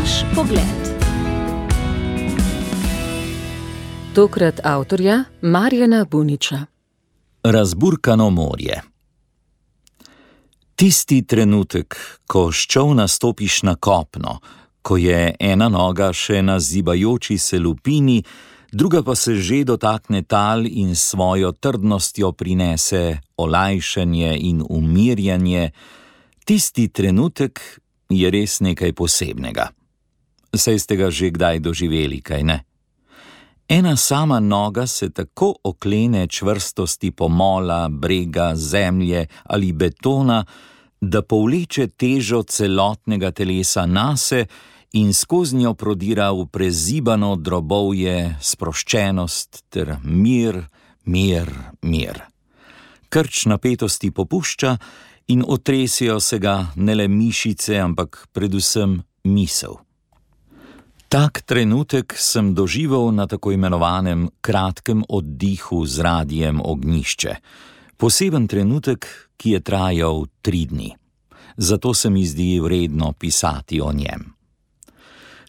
Naš pogled. Tokrat avtorja Marjana Buniča. Razburkano morje. Tisti trenutek, ko s čolna stopiš na kopno, ko je ena noga še na zibajoči se lupini, druga pa se že dotakne tal in s svojo trdnostjo prinese olajšanje in umirjanje, tisti trenutek je res nekaj posebnega. Saj ste ga že kdaj doživeli, kaj ne? Ena sama noga se tako oklene čvrstosti pomola, brega, zemlje ali betona, da povleče težo celotnega telesa nase in skozi njo prodira v prezibano drobovje sproščenost ter mir. Krč napetosti popušča in otresijo se ga ne le mišice, ampak predvsem misel. Tak trenutek sem doživel na tako imenovanem kratkem oddihu z radiem Ognjišče. Poseben trenutek, ki je trajal 3 dni. Zato se mi zdi vredno pisati o njem.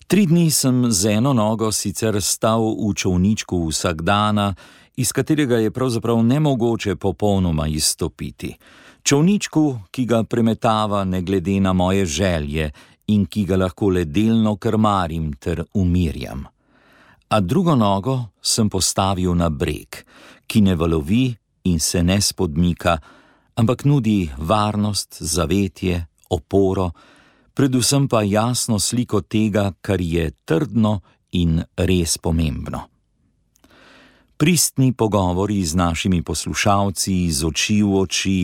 3 dni sem z eno nogo sicer stal v čolničku vsakdana, iz katerega je pravzaprav nemogoče popolnoma izstopiti. Čolničku, ki ga premetava ne glede na moje želje in ki ga lahko le delno krmarim ter umirjam. A drugo nogo sem postavil na breg, ki ne valovi in se ne spodmika, ampak nudi varnost, zavetje, oporo, predvsem pa jasno sliko tega, kar je trdno in res pomembno. Pristni pogovori z našimi poslušalci, iz oči v oči,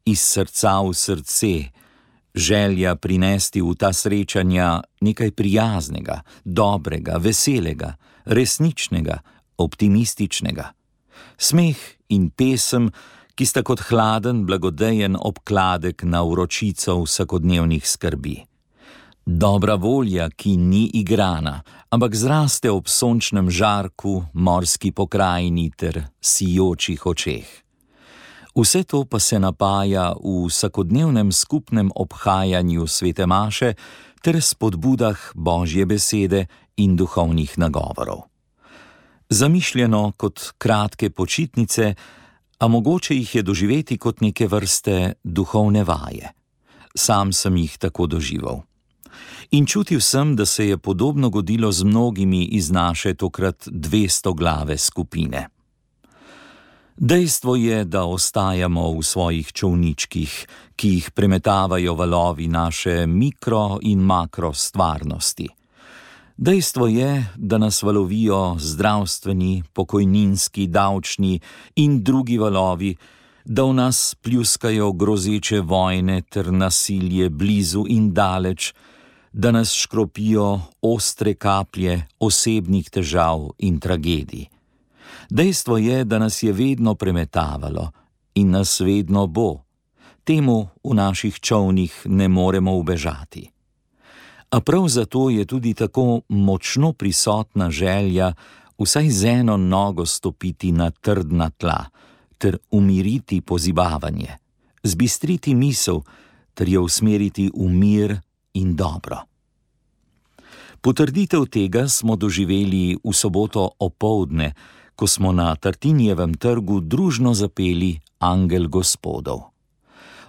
iz srca v srce, želja prinesti v ta srečanja nekaj prijaznega, dobrega, veselega, resničnega, optimističnega. Smeh in pesem, ki sta kot hladen, blagodejen obkladek na vročico vsakodnevnih skrbi. Dobra volja, ki ni igrana, ampak zraste ob sončnem žarku, morski pokrajini ter sijočih očeh. Vse to pa se napaja v vsakodnevnem skupnem obhajanju svete maše ter spodbudah Božje besede in duhovnih nagovorov. Zamišljeno kot kratke počitnice, a mogoče jih je doživeti kot neke vrste duhovne vaje. Sam sem jih tako doživel. In čutil sem, da se je podobno godilo z mnogimi iz naše tokrat 200-glave skupine. Dejstvo je, da ostajamo v svojih čolničkih, ki jih premetavajo valovi naše mikro in makro stvarnosti. Dejstvo je, da nas valovijo zdravstveni, pokojninski, davčni in drugi valovi, da v nas pljuskajo grozeče vojne ter nasilje blizu in daleč, da nas škropijo ostre kaplje osebnih težav in tragedij. Dejstvo je, da nas je vedno premetavalo in nas vedno bo. Temu v naših čolnih ne moremo ubežati. A prav zato je tudi tako močno prisotna želja vsaj z eno nogo stopiti na trdna tla ter umiriti pozibavanje, zbistriti misel ter jo usmeriti v mir in dobro. Potrditev tega smo doživeli v soboto opoldne, ko smo na Tartinijevem trgu družno zapeli Angel Gospodov.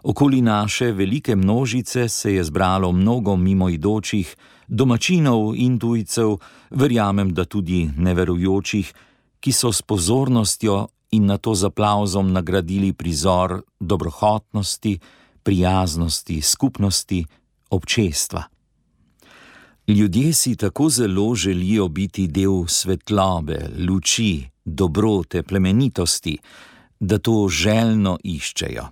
Okoli naše velike množice se je zbralo mnogo mimoidočih, domačinov in tujcev, verjamem, da tudi neverujočih, ki so s pozornostjo in nato z aplavzom nagradili prizor dobrohotnosti, prijaznosti, skupnosti, občestva. Ljudje si tako zelo želijo biti del svetlobe, luči, dobrote, plemenitosti, da to željno iščejo.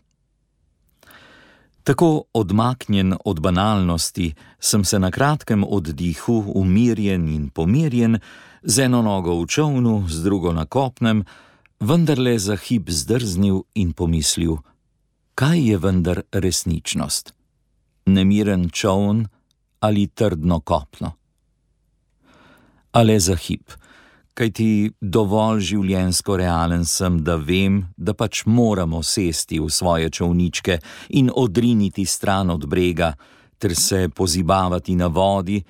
Tako odmaknjen od banalnosti sem se na kratkem oddihu, umirjen in pomirjen, z eno nogo v čolnu, z drugo na kopnem, vendarle za hip zdrznil in pomislil, kaj je vendar resničnost? Nemiren čoln ali trdno kopno? A le za hip, kajti dovolj življenjsko realen sem, da vem, da pač moramo sesti v svoje čolničke in odriniti stran od brega ter se pozibavati na vodi,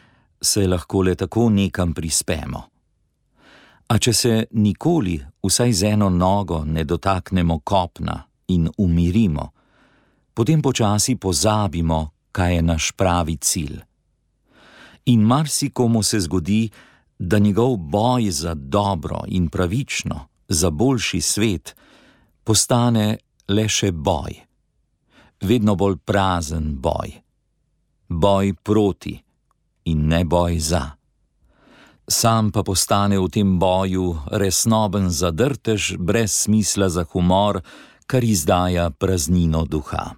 se lahko le tako nekam prispemo. A če se nikoli, vsaj z eno nogo, ne dotaknemo kopna in umirimo, potem počasi pozabimo, kaj je naš pravi cilj. In marsikomu se zgodi, da njegov boj za dobro in pravično, za boljši svet, postane le še boj. Vedno bolj prazen boj. Boj proti in ne boj za. Sam pa postane v tem boju resnoben zadrtež brez smisla za humor, kar izdaja praznino duha.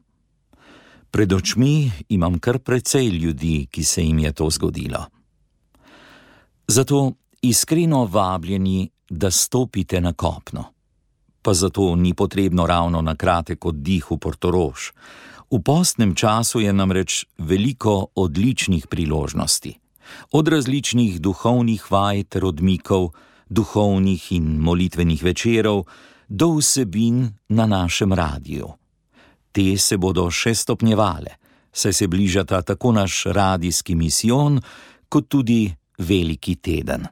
Pred očmi imam kar precej ljudi, ki se jim je to zgodilo. Zato iskreno vabljeni, da stopite na kopno. Pa zato ni potrebno ravno na kratek oddih v Portorož. V postnem času je namreč veliko odličnih priložnosti. Od različnih duhovnih vaj ter odmikov, duhovnih in molitvenih večerov, do vsebin na našem radiju. Te se bodo še stopnjevale, saj se bližata tako naš radijski misijon, kot tudi veliki teden.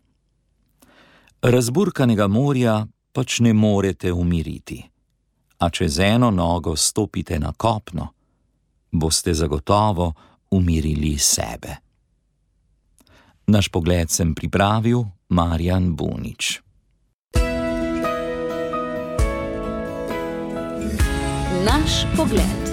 Razburkanega morja pač ne morete umiriti, a če z eno nogo stopite na kopno, boste zagotovo umirili sebe. Naš pogled sem pripravil Marjan Bunič. Naš pogled.